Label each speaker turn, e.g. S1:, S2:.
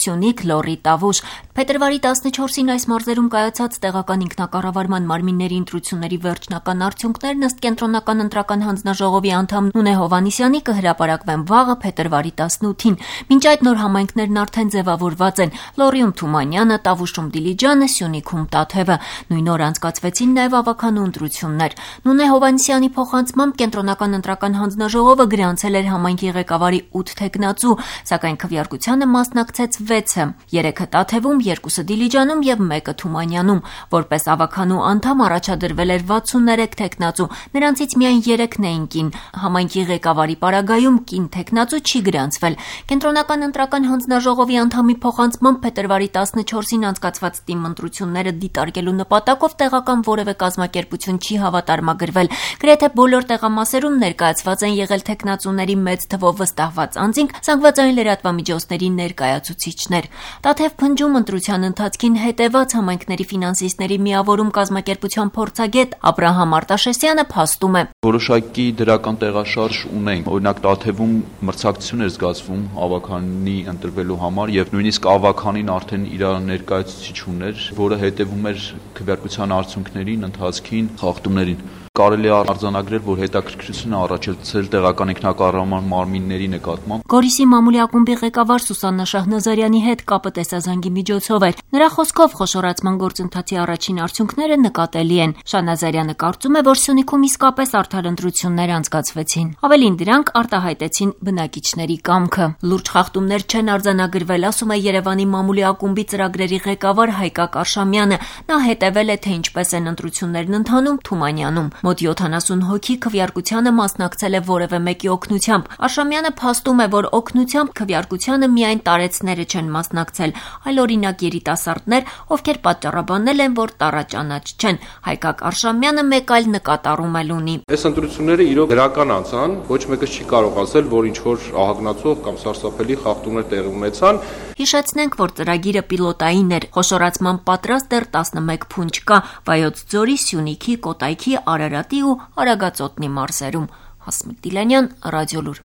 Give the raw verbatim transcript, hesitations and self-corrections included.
S1: Սյունիք, Լոռի, Տավուշ։ Փետրվարի տասնչորսին այս մարզերում կայացած տեղական ինքնակառավարման մարմինների ընտրությունների վերջնական արդյունքներն ըստ Կենտրոնական ընտրական հանձնաժողովի անդամ Նունե Հովհաննիսյանի կհրապարակվեն վաղը փետրվարի տասնութին։ Մինչ այդ նոր համայնքներն արդեն ձևավորված են՝ Լոռիում Թումանյանը, Տավուշում Դիլիջանը, Սյունիքում Տաթևը։ Նույն օր անցկացվեցին նաև ավականու ընտրություններ։ Նունե Հովհաննիսյանի փոխանցմամբ Կենտրոնական ընտրական հանձնաժողովը գրանցել էր համայնքի ղեկավարի ութ թեկնածու, սակայն քվեարկությանը մասնակցեց վեցը՝ երեքը Տաթևում, երկուսը Դիլիջանում եւ մեկը Թումանյանում։ Որպես ավականու անդամ առաջադրվել էր վաթսուններեք թեկնածու, նրանցից միայն երեքն էին կին։ Համայնքի ղեկավարի պարագայում կին թեկնածու չի գրանցվել։ Կենտրոնական ընտրական հանձնաժողովի անդամի փոխանցմամբ փետրվարի տասնչորսին անցկացված թիմ ընտրությունները դիտարկելու նպատակով տեղական որևէ կազմակերպություն չի հավատարմագրվել։ Գրեթե բոլոր տեղամասերում ներկայացված են եղել թեկնածուների մեծ թվով վստահված անձինք, զանգվածային լրատվամիջոցների ներկայացուցիչներ։ Տաթև փնջում ընտրության ընթացքին հետևած համայնքների ֆինանսիստների միավորում կազմակերպության փորձագետ Աբրահամ Արտաշեսյանը փաստում է.
S2: Որոշակի դրական տեղաշարժ ունենք։ Օրինակ Տաթևում մրցակցություն էր զգացվում ավականի ընտրվելու համար եւ նույնիսկ ավականին արդեն իր ներկայացուցիչ ուներ, որը հետևում էր քվեարկության արդյունքներին, ընթացքին, խախտումներին։ Կարելի է արձանագրել, որ հետաքրքրություն է առաջացել տեղական ինքնակառավարման մարմինների նկատմամբ։
S1: Գորիսի մամուլի ակումբի ղեկավար Սուսաննա Շահնազարյանի հետ կապը տեսազանգի միջոցով էր։ Նրա խոսքով խոշորացման գործընթացի առաջին արդյունքները նկատելի են։ Շահնազարյանը կարծում է, որ Սյունիքում իսկապես արդար ընտրություններ անցկացվեցին։ Ավելին դրանք արտահայտեցին բնակիչների կամքը։ Լուրջ խախտումներ չեն արձանագրվել, ասում է Երևանի մամուլի ակումբի ծրագրերի ղեկավար Հայկակ Արշամյանը։ Նա հետևել է, թե ինչպես են ընտրություններն ընթանում Թումանյանում։ Մոտ յոթանասուն հոգի քվեարկությանը մասնակցել է որևէ մեկի օգնությամբ։ Արշամյանը փաստում է, որ օգնությամբ քվեարկությանը միայն տարեցները չեն մասնակցել, այլ օրինակ երիտասարդներ, ովքեր պատճառաբանել են, որ տառաճանաչ չեն։ Հայկակ Արշամյանը մեկ այլ նկատառում էլ ունի։
S3: Այս ընտրությունները իրոք դրական անցան, ոչ մեկը չի կարող ասել, որ ինչ որ ահագնացող կամ սարսափելի խախտումներ տեղի ունեցան։
S1: Հիշեցնենք, որ ծրագիրը պիլոտային էր։ Խոշորացման պատրաստ դեռ տասնմեկ փունջ կա Վայոց ձորի, Սյունիքի, Կոտայքի, Արարատի ու Արագածոտնի մարզերում։ Հասմիկ Դիլանյան, Ռադիոլուր։